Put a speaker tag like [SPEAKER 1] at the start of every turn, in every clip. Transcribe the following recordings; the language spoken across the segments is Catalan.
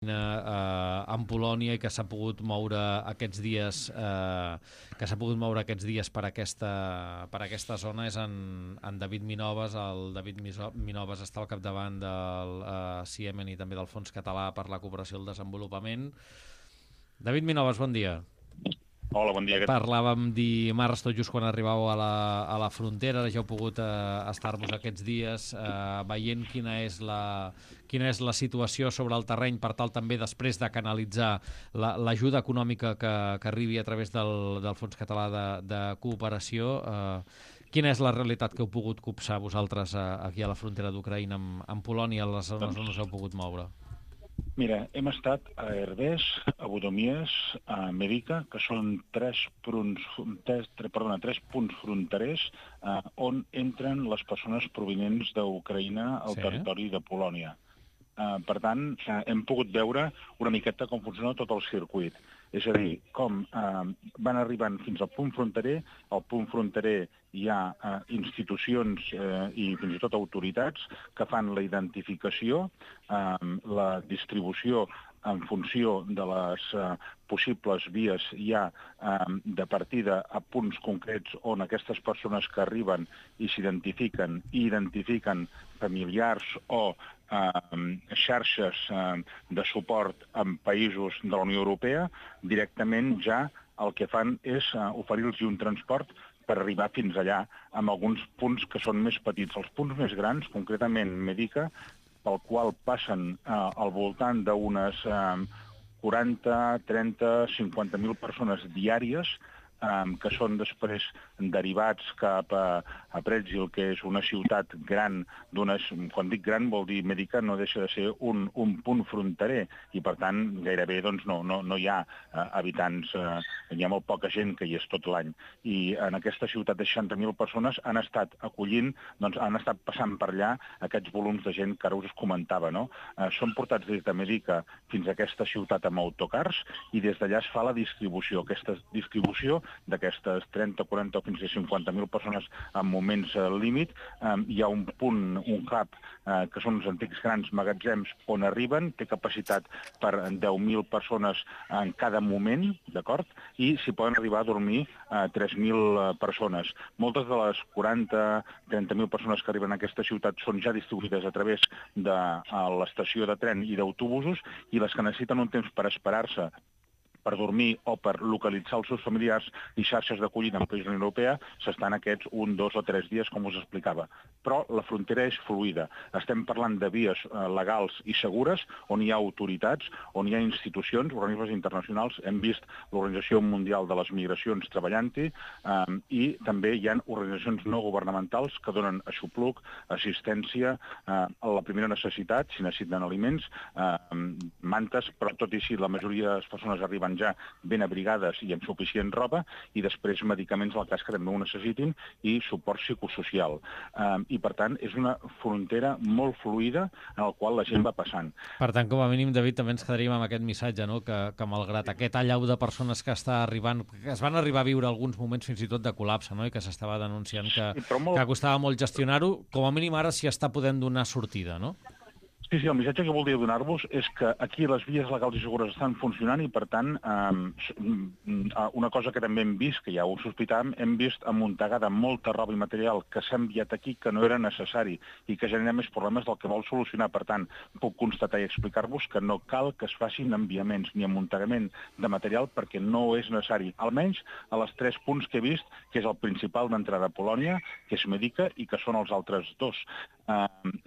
[SPEAKER 1] en Polònia i que s'ha pogut moure aquests dies per aquesta zona és en David Minoves. El David Minoves està al capdavant del CIEMEN i també del Fons Català per la Cooperació i el Desenvolupament. David Minoves, bon dia.
[SPEAKER 2] Hola, bon dia.
[SPEAKER 1] Parlàvem dimarts, tot just quan arribàveu a la frontera. Ara ja heu pogut estar-vos aquests dies veient quina és la situació sobre el terreny, per tal també després de canalitzar l'ajuda econòmica que arribi a través del Fons Català de Cooperació. Quina és la realitat que heu pogut copsar vosaltres aquí a la frontera d'Ucraïna amb Polònia, a les zones on us heu pogut moure?
[SPEAKER 2] Mira, hem estat a Herdès, a Bodomies, a Medica, que són tres punts fronterers on entren les persones provinents d'Ucraïna al territori de Polònia. Per tant, hem pogut veure una miqueta com funciona tot el circuit. És a dir, com van arribant fins al punt fronterer. Al punt fronterer hi ha institucions i fins i tot autoritats que fan la identificació, la distribució en funció de les possibles vies ja de partida a punts concrets on aquestes persones que arriben i s'identifiquen i identifiquen familiars o xarxes de suport en països de la Unió Europea, directament ja el que fan és oferir-los un transport per arribar fins allà, amb alguns punts que són més petits. Els punts més grans, concretament Medica, pel qual passen al voltant d'unes 40, 30, 50.000 persones diàries, que són després derivats cap a Pretzl, que és una ciutat gran. Quan dic gran vol dir Medica no deixa de ser un punt fronterer i per tant gairebé no hi ha habitants, hi ha molt poca gent que hi és tot l'any. I en aquesta ciutat de 60.000 persones han estat acollint, han estat passant per allà aquests volums de gent que ara us comentava. Són portats des de Medica fins a aquesta ciutat amb autocars i des d'allà es fa la distribució. Aquesta distribució d'aquestes 30, 40 o fins a 50.000 persones en moments límit, hi ha un punt, un hub, que són els antics grans magatzems on arriben, té capacitat per 10.000 persones en cada moment, d'acord? I s'hi poden arribar a dormir 3.000 persones. Moltes de les 40, 30.000 persones que arriben a aquesta ciutat són ja distribuïdes a través de l'estació de tren i d'autobusos i les que necessiten un temps per esperar-se per dormir o per localitzar els seus familiars i xarxes d'acollida en països de la Unió Europea s'estan aquests 1, 2 o 3 dies, com us explicava. Però la frontera és fluida. Estem parlant de vies legals i segures on hi ha autoritats, on hi ha institucions, organismes internacionals. Hem vist l'Organització Mundial de les Migracions treballant-hi i també hi ha organitzacions no governamentals que donen aixopluc, assistència a la primera necessitat, si necessiten aliments, mantes, però tot i així la majoria de les persones arriben ja ben abrigades i amb suficient roba, i després medicaments al cas que també ho necessitin i suport psicosocial. I per tant és una frontera molt fluida en la qual la gent va passant.
[SPEAKER 1] Per tant, com a mínim, David, també ens quedaríem amb aquest missatge, que malgrat aquest allau de persones que està arribant, que es van arribar a viure alguns moments fins i tot de col·lapse, i que s'estava denunciant que costava molt gestionar-ho, com a mínim ara s'hi està podent donar sortida, no?
[SPEAKER 2] Sí, el missatge que voldria donar-vos és que aquí les vies legals i segures estan funcionant i, per tant, una cosa que també hem vist, que ja ho sospitàvem, hem vist amuntegada molta roba i material que s'ha enviat aquí que no era necessari i que genera més problemes del que vol solucionar. Per tant, puc constatar i explicar-vos que no cal que es facin enviaments ni amuntegament de material perquè no és necessari, almenys a les 3 punts que he vist, que és el principal d'entrada a Polònia, que és Medica, i que són els altres 2.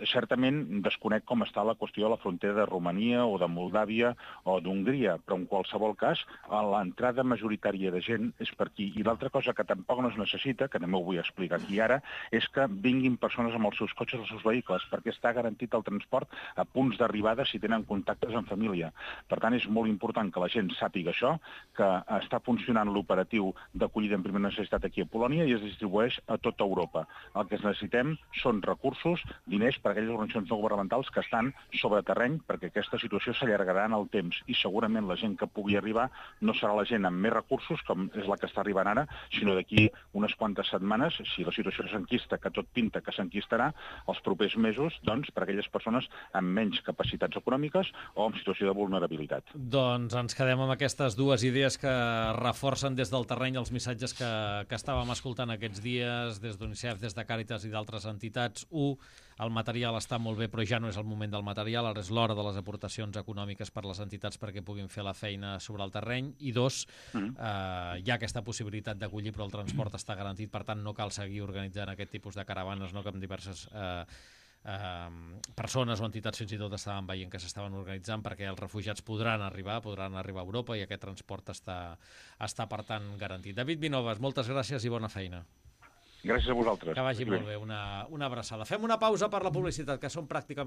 [SPEAKER 2] Certament desconec com està la qüestió de la frontera de Romania o de Moldàvia o d'Hongria, però en qualsevol cas l'entrada majoritària de gent és per aquí. I l'altra cosa que tampoc no es necessita, que també ho vull explicar aquí ara, és que vinguin persones amb els seus cotxes o els seus vehicles, perquè està garantit el transport a punts d'arribada si tenen contactes en família. Per tant, és molt important que la gent sàpiga això, que està funcionant l'operatiu d'acollida en primera necessitat aquí a Polònia i es distribueix a tota Europa. El que necessitem són recursos diners per a aquelles organitzacions no governamentals que estan sobre terreny, perquè aquesta situació s'allargarà en el temps i segurament la gent que pugui arribar no serà la gent amb més recursos, com és la que està arribant ara, sinó d'aquí unes quantes setmanes, si la situació s'enquista, que tot pinta que s'enquistarà, els propers mesos, doncs, per a aquelles persones amb menys capacitats econòmiques o en situació de vulnerabilitat.
[SPEAKER 1] Doncs ens quedem amb aquestes dues idees que reforcen des del terreny els missatges que estàvem escoltant aquests dies, des d'UNICEF, des de Càritas i d'altres entitats. El material està molt bé, però ja no és el moment del material, ara és l'hora de les aportacions econòmiques per les entitats perquè puguin fer la feina sobre el terreny. I dos, hi ha aquesta possibilitat d'acollir, però el transport està garantit, per tant no cal seguir organitzant aquest tipus de caravanes, no, que amb diverses persones o entitats fins i tot estaven veient que s'estaven organitzant perquè els refugiats podran arribar a Europa i aquest transport està per tant garantit. David Vinovas, moltes gràcies i bona feina.
[SPEAKER 2] Gràcies a vosaltres.
[SPEAKER 1] Que vagi molt bé, una abraçada. Fem una pausa per la publicitat, que són pràcticament